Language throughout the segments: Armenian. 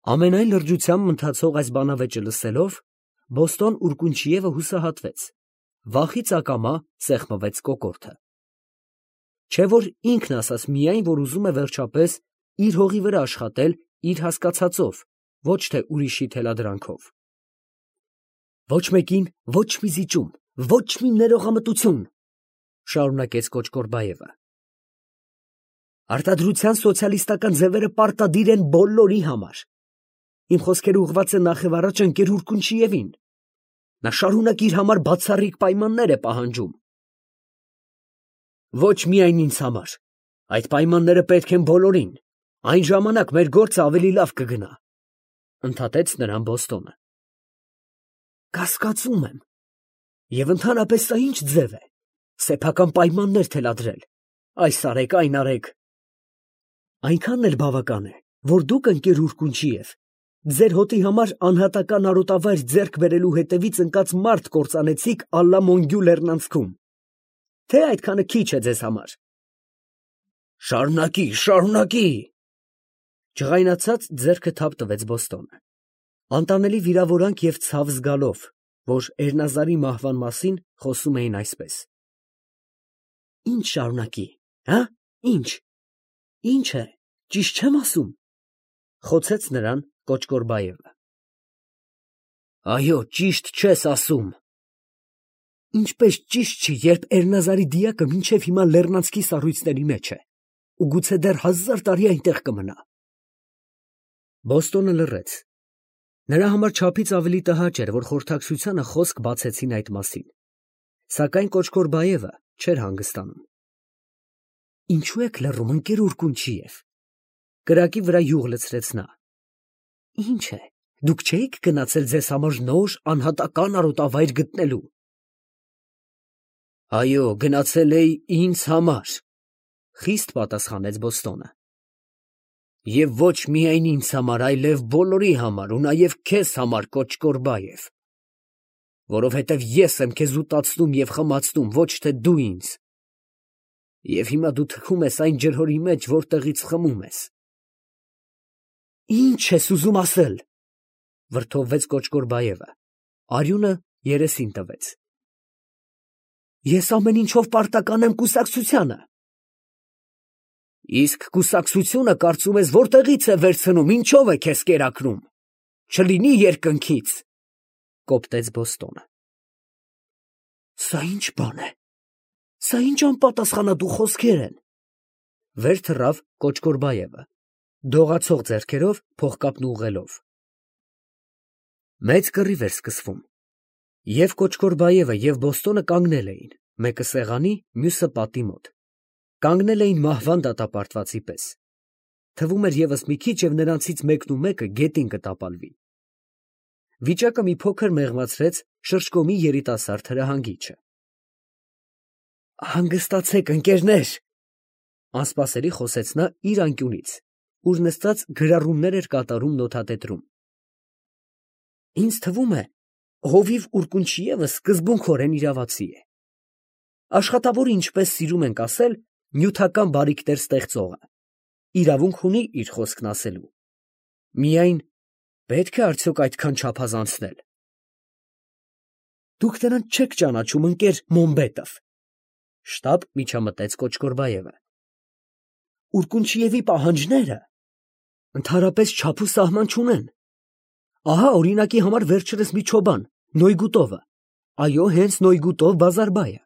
Ամենայն լրջությամբ ընթացող այս բանավեճը լսելով, Բոստոն Ուրկունչիևը հուսահատվեց, վախից ակամա սեղմվեց կոկորդը։ Չէ որ ինքն ասաց միայն, որ ուզում է վերջապես իր հողի վրա աշխատել իր հասկացածով, ոչ թե ուրիշի թելադրանքով։ Ոչ մեկին ոչ մի զիջում, ոչ մի ներողամտություն, շարունակեց Կոճկորբաևը։ Արտադրության սոցիալիստական ձևերը պարտադիր են բոլորի համար։ Իմ խոսքերը ուղղված են նախևառաջ ընկեր Ուրկունչիևին։ Նա շարունակ իր համար բացառիկ պայմաններ է պահանջում։ Ոչ միայն ինձ համար, այդ պայմանները պետք են բոլորին, այն ժամանակ մեր գործը ավելի լավ կգնա, ընդհատեց նրան Բոստոնը։ Կասկածում եմ, եւ ընդհանրապես սա ինչ ձև է, սեփական պայմաններ թելադրել, այս արեք, այն արեք։ Այնքանն էլ բավական է, որ դուք ընկեր Ուրկունչիև, ձեր հոտի համար անհատական արոտավայր ձեռք բերելու հետևից ընկած մարդ կործանեցիք Ալլա Մոնգյու լեռնանցքում, թե այդքանը քիչ է ձեզ համար։ Շարունակի, շարունակի, ջղայնացած ձեռքը թափ տվեց Բոստոնը, անտանելի վիրավորանք և ցավ զգալով, որ Էրնազարի մահվան մասին խոսում էին այսպես։ Ինչ շարունակի, հա, ինչ է, ճիշտ չեմ ասում, խոցեց նրան Կոճկորբաևը։ Այո, ճիշտ չես ասում։ Ինչպես ճիշտ չի, երբ Էրնազարի դիակը մինչև հիմա լեռնանցքի սառույցների մեջ է, ու գուցե դեռ 1000 տարի այնտեղ կմնա։ Բոստոնը լռեց։ Նրա համար չափից ավելի տհաճ էր, որ խորհրդակցությանը խոսք բացեցին այդ մասին, սակայն Կոճկորբաևը չէր հանգստանում։ Ինչու եք լռում, ընկեր Ուրկունչիև, կրակի վրա յուղ լցրեց նա։ Ինչ է, դուք չէիք գնացել ձեզ համար նոր անհատական արոտավայր գտնելու։ Այո, գնացել էի ինձ համար, խիստ պատասխանեց Բոստոնը։ Եվ ոչ միայն ինձ համար, այլև բոլորի համար, ու նաև քեզ համար, Կոճկորբաև, որովհետև ես եմ քեզ ուտացնում և խմացնում, ոչ թե դու ինձ։ Եվ հիմա դու թքում ես այն ջրհորի մեջ, որտեղից խմում ես։ Ինչ ես ուզում ասել, վրդովվեց Կոճկորբաևը, արյունը երեսին տվեց։ Ես ամեն ինչով պարտական եմ կուսակցությանը։ Իսկ կուսակցությունը կարծում ես որտեղից է վերցնում, ինչով է քեզ կերակրում, չլինի երկնքից, կոպտեց Բոստոնը։ Սա ինչ բան է, սա ինչ անպատասխանատու խոսքեր են, վեր թռավ Կոճկորբաևը, դողացող ձեռքերով փողկապն ուղղելով։ Մեծ կռիվ էր սկսվում, և Կոճկորբաևը և Բոստոնը կանգնել էին, մեկը սեղանի, մյուսը պատի մոտ, կանգնել էին մահվան դատապարտվածի պես։ Թվում էր ևս մի քիչ և նրանցից մեկն ու մեկը գետին կտապալվի։ Վիճակը մի փոքր մեղմացրեց շրջկոմի երիտասարդ հրահանգիչը։ Հանգստացեք, ընկերներ, անսպասելի խոսեց նա իր անկյունից, ուր նստած գրառումներ էր կատարում նոթատետրում։ Ինձ թվում է, հովիվ Ուրկունչիևը սկզբունքորեն իրավացի է։ Աշխատավորը, ինչպես սիրում ենք ասել, նյութական բարիքներ ստեղծողը, իրավունք ունի իր խոսքն ասելու։ Միայն պետք է արդյոք այդքան չափազանցնել։ Դուք նրան չեք ճանաչում, ընկեր Մոմբետով, շտապ միջամտեց Կոճկորբաևը։ Ուրկունչիևի պահանջները ընդհանրապես չափ ու սահման չունեն։ Ահա օրինակի համար վերջերս մի չոբան, Նոյգուտովը, այո, հենց Նոյգուտով Բազարբայը,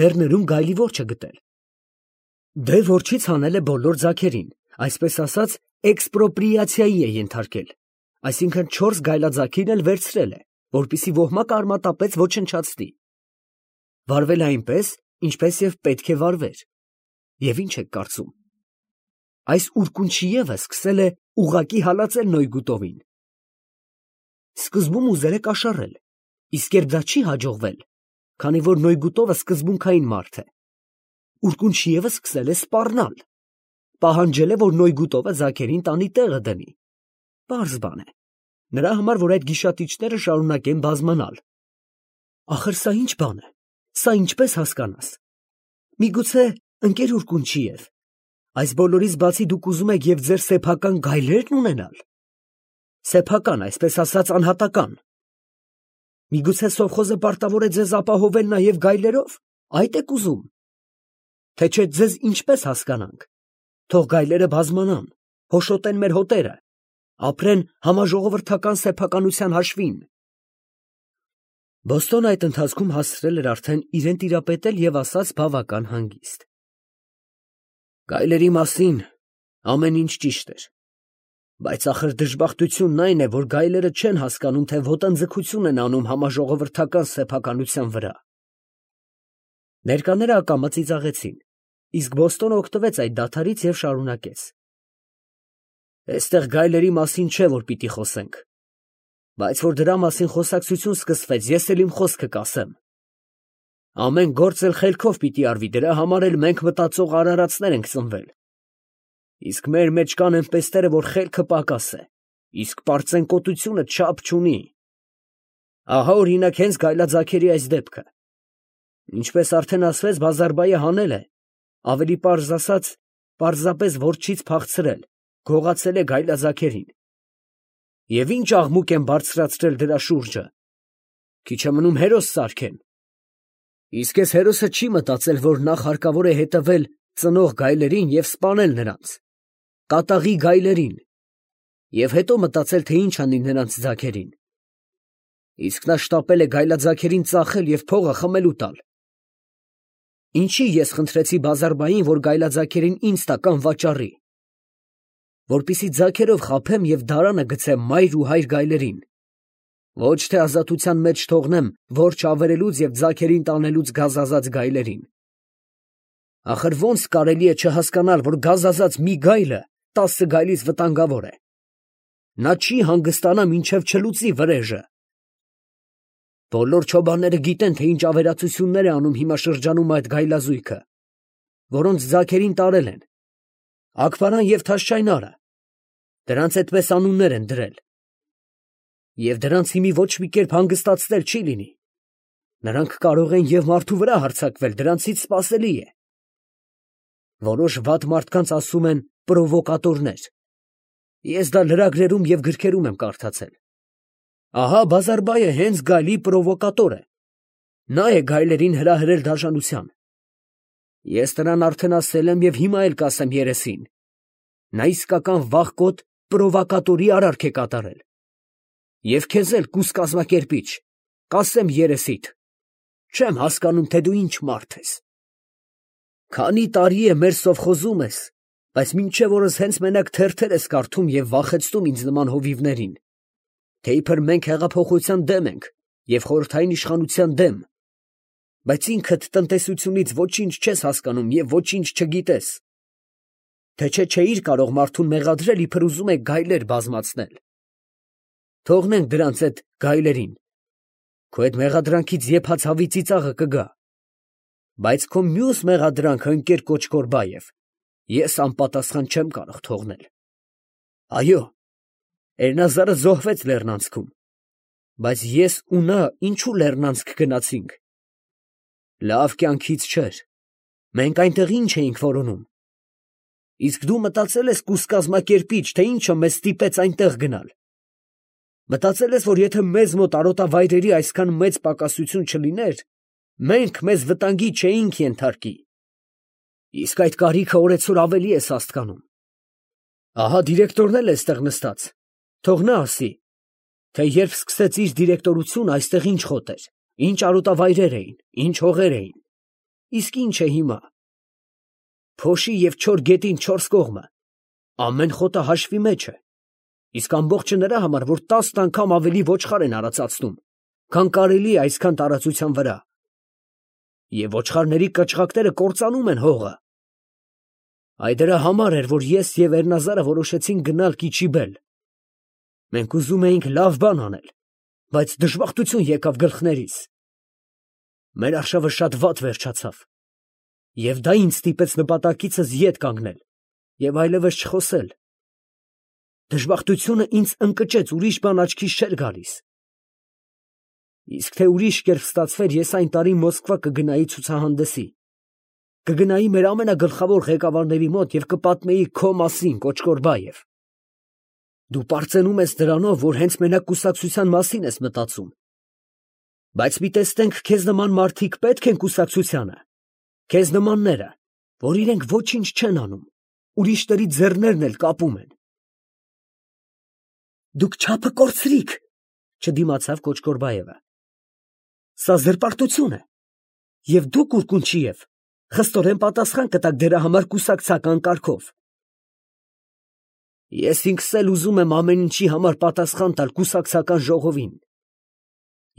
լեռներում գայլի որջը գտել։ Դե որջից հանել է բոլոր ձագերին, այսպես ասած, էքսպրոպրիացիայի է ենթարկել, այսինքն 4 գայլաձագին էլ վերցրել է, որպեսզի ոհմակ արմատապեց ոչնչացնի։ Վարվել է այնպես, ինչպես և պետք է վարվեր։ Եվ ինչ եք կարծում։ Այս Ուրկունչիևը սկսել է ուղղակի հալածել Նոյգուտովին։ Սկզբում ուզել է կաշառել, իսկ երբ դա չի հաջողվել, քանի որ Նոյգուտովը սկզբունքային մարդ է, Ուրկունչիևը սկսել է սպառնալ, պահանջել է, որ Նոյգուտովը ձագերին տանի տեղը դնի։ Պարզ բան է, նրա համար, որ այդ գիշատիչները շարունակեն բազմանալ։ Ախր սա ինչ բան է, սա ինչպես հասկանաս։ Միգուցե, ընկեր Ուրկունչիև, այս բոլորից բացի դուք ուզում եք և ձեր սեփական գայլերն ունենալ։ սեփական, այսպես ասած, անհատական։ Միգուցե սովխոզը պարտավոր է ձեզ ապահովել նաև գայլերով, այդ եք ուզում։ Թե չէ ձեզ ինչպես հասկանանք։ Թող գայլերը բազմանան, հոշոտեն մեր հոտերը, ապրեն համաժողովրդական սեփականության հաշվին։ Բոստոնը այդ ընթացքում հասցրել էր արդեն իրեն տիրապետել և ասաց բավական հանգիստ. Գայլերի մասին ամեն ինչ ճիշտ էր, բայց ախր դժբախտությունն այն է, որ գայլերը չեն հասկանում, թե ոտնձգություն են անում համաժողովրդական սեփականության վրա։ Ներկաները ակամա ծիծաղեցին, իսկ Բոստոնը օգտվեց այդ դադարից և շարունակեց. Այստեղ գայլերի մասին չէ, որ պիտի խոսենք, բայց որ դրա մասին խոսակցություն սկսվեց, ես էլ իմ խոսքը կասեմ։ Ամեն գործ էլ խելքով պիտի արվի, դրա համար էլ մենք մտածող արարածներ ենք ծնվել։ Իսկ մեր մեջ կան այնպեսները, որ խելքը պակաս է, իսկ պարծենկոտությունը չափ չունի։ Ահա օրինակ հենց գայլաձագերի այս դեպքը։ Ինչպես արդեն ասվեց, Բազարբայը հանել է, ավելի պարզ ասած, պարզապես որջից փախցրել, գողացել է գայլաձագերին։ Եվ ինչ աղմուկ են բարձրացրել դրա շուրջը։ Քիչ է մնում հերոս սարքեն։ Իսկ այս հերոսը չի մտածել, որ նախ հարկավոր է հետևել ծնող գայլերին և սպանել նրանց, կատաղի գայլերին, և հետո մտածել, թե ինչ անի նրանց ձագերին։ Իսկ նա շտապել է գայլաձագերին ծախել և փողը խմելու տալ։ Ինչի ես խնդրեցի Բազարբային, որ գայլաձագերին ինձ տա կամ վաճառի, որպեսզի ձագերով խաբեմ և դարանը գցեմ մայր ու հայր գայլերին, ոչ թե ազատության մեջ թողնեմ որջ ավերելուց և ձագերին տանելուց գազազած գայլերին։ Ախր ո՞նց կարելի է չհասկանալ, որ գազազած մի գայլը 10 գայլից վտանգավոր է։ Նա չի հանգստանա, մինչև չլուծի վրեժը։ Բոլոր չոբանները գիտեն, թե ինչ ավերածություններ է անում հիմա շրջանում այդ գայլազույգը, որոնց ձագերին տարել են, Աքբարան և Թաշչայնարը, դրանց այդպես անուններ են դրել։ Եվ դրանց հիմի ոչ մի կերպ հանգստացնել չի լինի։ Նրանք կարող են և մարդու վրա հարձակվել, դրանցից սպասելի է։ Որոշ վատ մարդկանց ասում են պրովոկատորներ։ Ես դա լրագրերում և գրքերում եմ կարդացել։ Ահա Բազարբայը հենց գայլի պրովոկատոր է։ Նա է գայլերին հրահրել դաժանության։ Ես նրան արդեն ասել եմ և հիմա էլ կասեմ երեսին. նա իսկական վախկոտ պրովոկատորի արարք է կատարել։ Եվ քեզ էլ կուս կազմակերպիչ, կասեմ երեսիդ, չեմ հասկանում, թե դու ինչ մարդ ես։ Քանի տարի է մեր սովխոզում ես, բայց մինչև օրս հենց մենակ թերթեր ես կարդում և վախեցնում ինձ նման հովիվներին, թե իբր մենք հեղափոխության դեմ ենք և խորհրդային իշխանության դեմ, բայց ինքդ տնտեսությունից ոչինչ չես հասկանում և ոչինչ չգիտես, թե չէիր կարող մարդուն մեղադրել, իբր ուզում է գայլեր բազմացնել։ Թողնենք դրանց այդ գայլերին, քո այդ մեղադրանքից եփած հավի ծիծաղը կգա, բայց քո մյուս մեղադրանքը, ընկեր Կոչկորբաև, ես անպատասխան չեմ կարող թողնել։ Այո, Էրնազարը զոհվեց լեռնանցքում, բայց ես ու նա ինչու լեռնանցք գնացինք։ Լավ կյանքից չէր, մենք այնտեղ ինչ էինք որոնում։ Իսկ դու մտածել ես կուս կազմակերպիչ, թե ինչը մեզ ստիպեց այնտեղ գնալ։ Մտածել ես, որ եթե մեզ մոտ արոտավայրերի այսքան մեծ պակասություն չլիներ, մենք մեզ վտանգի չէինք ենթարկի։ Իսկ այդ կարիքը օրեցօր ավելի ես հասկանում։ Ահա դիրեկտորն էլ է այստեղ նստած, թող նա ասի, թե երբ սկսեց իր դիրեկտորությունը, այստեղ ինչ խոտ էր, ինչ արոտավայրեր էին, ինչ հողեր էին, իսկ ինչ է հիմա։ Փոշի և չոր գետին 4 կողմը, ամեն խոտը հաշվի մեջ է, իսկ ամբողջը նրա համար, որ 10 անգամ ավելի ոչխար են արածացնում, քան կարելի է այսքան տարածության վրա։ Եվ ոչխարների կչղակները կործանում են հողը։ Այդ դրա համար էր, որ ես և Էրնազարը որոշեցինք գնալ Կիչիբել։ Մենք ուզում էինք լավ բան անել, բայց դժբախտություն եկավ գլխներիս։ Մեր արշավը շատ վատ վերջացավ, և դա ինձ ստիպեց նպատակիցս ետ կանգնել և այլևս չխոսել։ Դժբախտությունը ինձ ընկճեց, ուրիշ բան աչքիս չէր գալիս։ Իսկ թե ուրիշ կերպ ստացվեր, ես այն տարի Մոսկվա կգնայի ցուցահանդեսի, կգնայի մեր ամենագլխավոր ղեկավարների մոտ և կպատմեի քո մասին, Կոչկորբաև։ Դու պարծենում ես դրանով, որ հենց մենակ կուսակցության մասին ես մտածում։ Բայց մի տեսնենք, քեզ նման մարդիկ պետք են կուսակցությանը։ Քեզ նմանները, որ իրենք ոչինչ չեն անում, ուրիշների ձեռներն էլ կապում են։ Դուք չափը կորցրիք, չդիմացավ Կոչկորբաևը։ Սա զրպարտություն է։ Եվ դուք Ուրկունչիև խստորեն պատասխան կտաք դրա համար կուսակցական կարգով։ Ես ինքս էլ ուզում եմ ամեն ինչի համար պատասխան տալ կուսակցական ժողովին։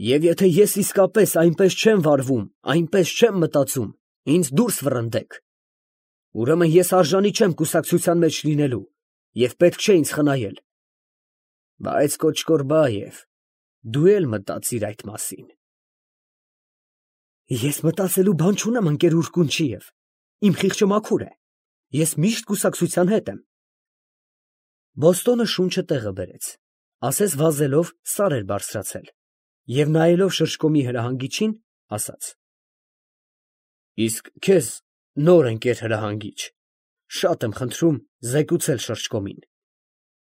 Եվ եթե ես իսկապես այնպես չեմ վարվում, այնպես չեմ մտածում, ինձ դուրս վռնդեք։ Ուրեմն ես արժանի չեմ կուսակցության մեջ լինելու և պետք չէ ինձ խնայել։ Բայց Կոչկորբաև, դու էլ մտածիր այդ մասին։ Ես մտածելու բան չունեմ, ընկեր Ուրկունչիև, իմ խիղճը մաքուր է, ես միշտ կուսակցության հետ եմ։ Բոստոնը շունչը տեղը բերեց, ասես վազելով սար էր բարձրացել, և նայելով շրջկոմի հրահանգիչին, ասաց. Իսկ քեզ, նոր ընկեր հրահանգիչ, շատ եմ խնդրում զեկուցել շրջկոմին,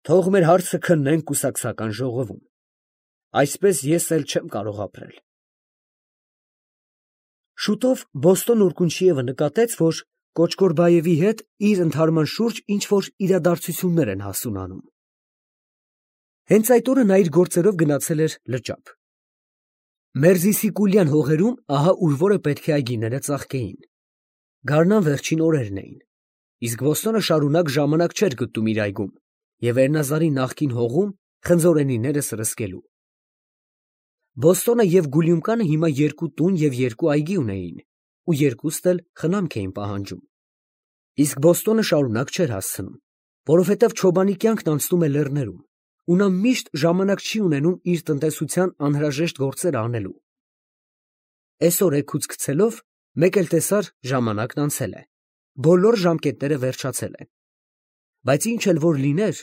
թող մեր հարցը քննեն կուսակցական ժողովում, այսպես ես էլ չեմ կարող ապրել։ Շուտով Բոստոն Ուրկունչիևը նկատեց, որ Կոչկորբաևի հետ իր ընդհարման շուրջ ինչ-որ իրադարձություններ են հասունանում։ Հենց այդ օրը նա իր գործերով գնացել էր լճապ։ Մերզիսիկուլյան հողերում ահա ուր որը պետք է այգիները ծաղկեին։ Գարնան վերջին օրերն էին, իսկ Բոստոնը շարունակ ժամանակ չէր գտնում իր այգում և Էրնազարի նախկին հողում խնձորենիները սրսկելու։ Բոստոնը և Գուլյումկանը հիմա երկու տուն և երկու այգի ունեին, ու երկուստ էլ խնամք էին պահանջում։ Իսկ Բոստոնը շարունակ չէր հասցնում, որովհետև Չոբանի կյանքն անցնում է լեռներում, ու նա միշտ ժամանակ չի ունենում իր տնտեսության անհրաժեշտ գործերը անելու։ Էսօր էգուց գցելով, մեկ էլ տեսար ժամանակն անցել է, բոլոր ժամկետները վերջացել են։ Բայց ինչ էլ որ լիներ,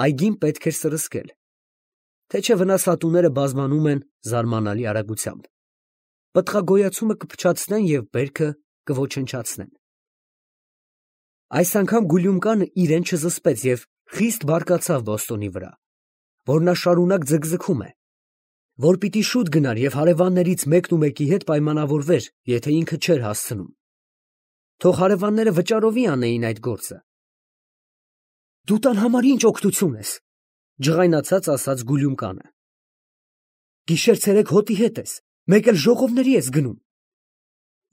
այգին պետք էր սրսկել, թե չէ վնասատուները բազմանում են զարմանալի արագությամբ։ Պտղագոյացումը կփչացնեն և բերքը կոչնչացնեն։ Այս անգամ Գուլյումկանը իրեն չզսպեց և խիստ բարկացավ Բոստոնի վրա, որ նա շարունակ ձգձգում է, որ պիտի շուտ գնար և հարևաններից մեկն ու մեկի հետ պայմանավորվեր, եթե ինքը չէր հասցնում։ Թող հարևանները վճարովի անեին այդ գործը։ Դու տան համար ինչ օգնություն ես, ջղայնացած ասաց Գուլյումկանը։ Գիշեր-ցերեկ հոտի հետ ես, մեկ էլ ժողովների ես գնում։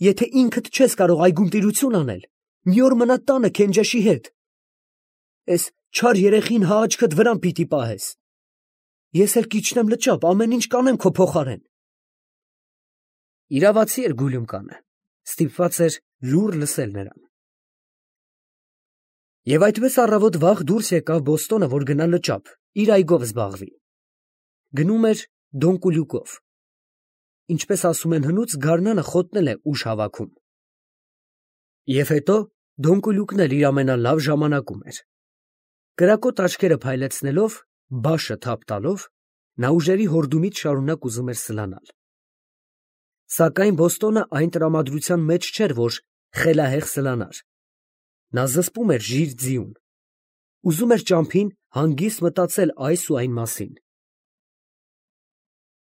Եթե ինքդ չես կարող այգում տիրություն անել, մի օր մնա տանը Քենջեշի հետ։ Էս չար երեխին հա աչքդ վրան պիտի պահես։ Ես էլ կիջնեմ լճապ, ամեն ինչ կանեմ քո փոխարեն։ Իրավացի էր Գուլյումկանը, ստիպված էր լուռ լսել նրան։ Եվ այդպես առավոտ վաղ դուրս եկավ Բոստոնը, որ գնա լճապ, իր այգով զբաղվի։ Գնում էր Դոնկուլյուկով։ Ինչպես ասում են հնուց, գարնանը խոտնել է ուժ հավաքում։ Եվ հետո Դոնկուլյուկն էլ իր ամենալավ ժամանակում էր։ Կրակոտ աչքերը փայլեցնելով, բաշը թափ տալով, նա ուժերի հորդումից շարունակ ուզում էր սլանալ։ Սակայն Բոստոնը այն տրամադրության մեջ չէր, որ խելահեղ սլանար։ Նա զսպում էր ժիր ձիուն։ Ուզում էր ճամփին հանգիստ մտածել այս ու այն մասին։